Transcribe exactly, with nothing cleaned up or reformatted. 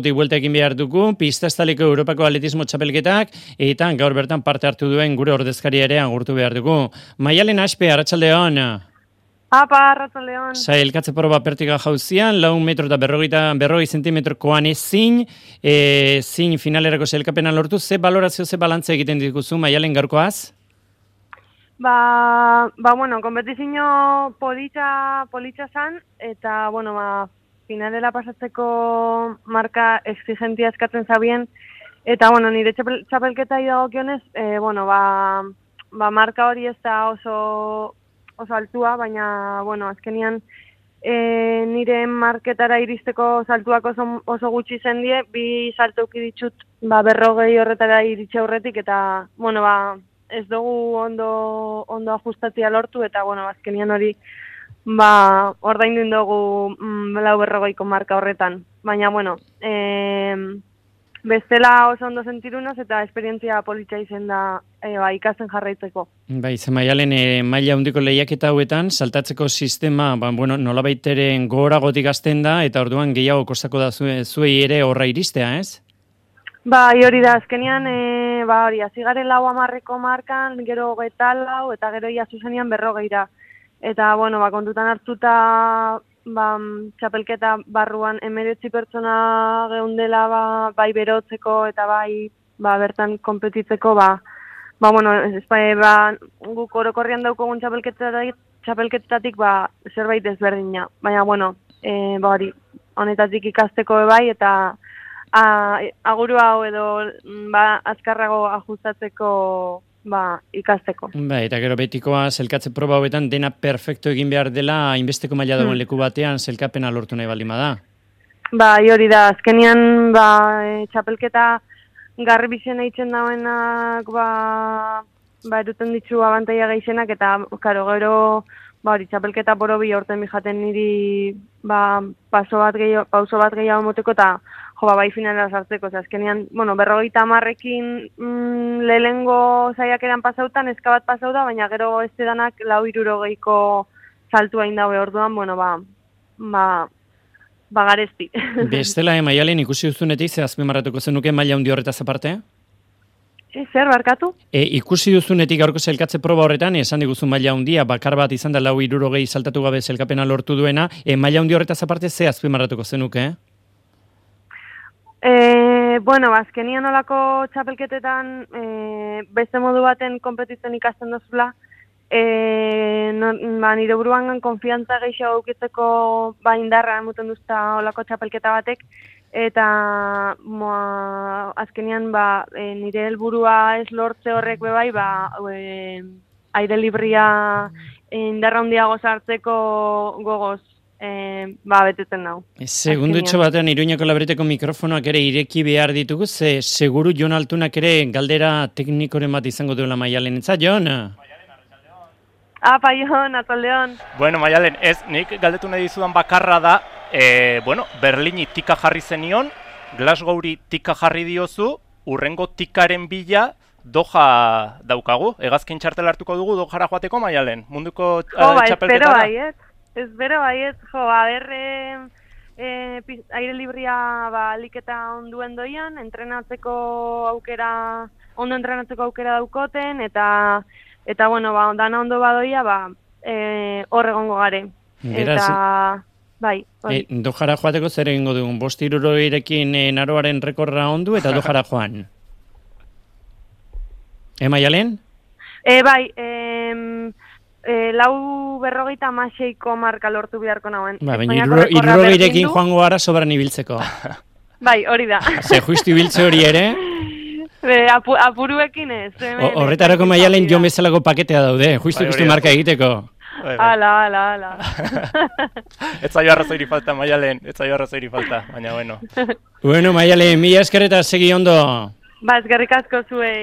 Buelta egin behar dugu, pista estaliko Europako atletismo txapelketak, eta gaur bertan parte hartu duen gure ordezkaria ere agurtu behar dugu. Maialen Aspe, arratsaldeon. Apa, arratsaldeon. Sailkatze proba pertiga jauzian, lau metro eta berrogeita berrogei zentimetrokoan ezin, e, zin finalerako sailkapena lortu, ze balorazio, ze balantze egiten dituzu, Maialen gaurkoaz? Ba, ba bueno, kompetizio politxa, politxa zan, eta, bueno, ba, finalera pasatzeko marka exigentia eskatzen zabien, eta, bueno, nire txapel, txapelketa idagokionez, e, bueno, ba, ba, marka hori ez da oso, oso altua, baina, bueno, azkenian e, nire marketara iristeko saltuak oso, oso gutxi zendie, bi salto uki ditut, ba, berrogei horretara iritxe aurretik, eta, bueno, ba, ez dugu ondo, ondo ajustatzea lortu, eta, bueno, azkenian hori, ba, ordaindu dugu mm, lau berrogeiko marka horretan. Baina, bueno, e, bestela oso ondo sentirunaz eta esperientzia politxa izen da e, ba, ikasten jarraitzeko. Bai, ze Maialen, e, maila handiko lehiaketa hauetan, saltatzeko sistema, ba, bueno, nolabait ere gogoragotik hasten da, eta orduan gehiago kostako da zue, zuei ere horra iristea, ez? Ba, hori da, azkenian, e, ba, hori, azigaren lau amarreko markan, gero hogeita lau, eta gero ia zuzenian berrogeira. Eta, bueno, ba, kontutan hartuta, ba, txapelketa barruan emeretzi pertsona geundela, ba, bai berotzeko eta bai, ba, bertan konpetitzeko, ba, ba, bueno, ez, ba, guk orokorrian daukogun txapelketatik, txapelketatik, ba, zerbait ezberdina. Baina, bueno, e, ba, hori, honetatik ikasteko bai, eta a, aguru hau edo, ba, azkarrago ajustatzeko, ba, ikasteko. Ba, eta gero betikoa, zelkatze proba hauetan dena perfecto egin behar dela, hainbesteko maila dagoen hmm. leku batean, zelkapena lortu nahi baldin bada. Ba, hori da, azkenian, ba, e, txapelketa garri bizena eitzen dauenak, ba, ba, eruten ditzu abantaia gehienak, eta, karo, gero, ba, hori, txapelketa borobi horten bijaten niri, ba, paso bat gehiago, pauso bat gehiago moteko, eta, jo, ba, bai finalera sartzeko, azkenean, bueno, berrogeita hamarrekin mm, lehengo saiakeran pasautan, eska bat pasau da, baina gero ez danak lau hirurogeiko saltua indaue orduan, bueno, ba, ba, ba garezti. Bestela, eh, Maialen, ikusi duzunetik, ze azpimarratuko zenuke maila handi horretaz aparte? E, zer, barkatu? E, ikusi duzunetik gaurko zelkatze proba horretan, esan diguzu maila handia, bakar bat izan da lau hirurogei saltatu gabe zelkapena lortu duena, e, maila handi horretaz aparte, ze azpimarratuko zenuke, eh? E, bueno, azkenian olako txapelketetan e, beste modu baten konpetitzen ikasten dozula, e, no, ba, nire buruan konfiantza gehiago aukitzeko ba, indarra emuten duzta olako txapelketa batek, eta moa, azkenian ba, e, nire helburua ez lortze horrek bebai, ba, e, aire libria e, indarra handiago sartzeko gogoz E, ba, betetzen nau. Segundutxo batean Iruñako Labriteko mikrofonoak ere ireki behar ditugu, ze seguru Jon Altunak ere galdera teknikoren bat izango duela Maialen. Etza, Jon? Apa, Jon, atzaldeon. Bueno, Maialen, ez, nik galdetu nahi dizudan bakarra da, e, bueno, Berlini tika jarri zenion, Glasgowri tika jarri diozu, urrengo tikaren bila, Doha daukagu. Hegazkin txartel hartuko dugu Dojara joateko, Maialen? Munduko uh, jo, ba, txapelketara? espero baiet. Ez bero baiet, jo, a ber, e, e, aire libria ba, aliketa onduen doian, entrenatzeko aukera, ondo entrenatzeko aukera daukoten, eta, eta bueno, ba, dana ondo badoia, ba, e, hor egongo gare. Beraz, eta, bai, bai. E, Dojara joateko zer egingo dugun, bost hirurogerekin e, naroaren rekorra ondu eta Dojara joan. E, Maialen? E, bai, em, E, lau berrogeita amaseiko marka lortu beharko nauen. Ba, baina irurogeirekin joango gara sobran ibiltzeko. Bai, hori da. Ze justu ibiltze hori ere? Be, apu, apuruekin ez. Horretarako Maialen jo bezalako paketea daude, justu justu marka egiteko. Ala, ala, ala. Ez zaio arrazoiri falta, Maialen, ez zaio arrazoiri falta, baina bueno. Bueno, Maialen, mila eskerreta segi ondo. Ba, eskerrik asko zuei.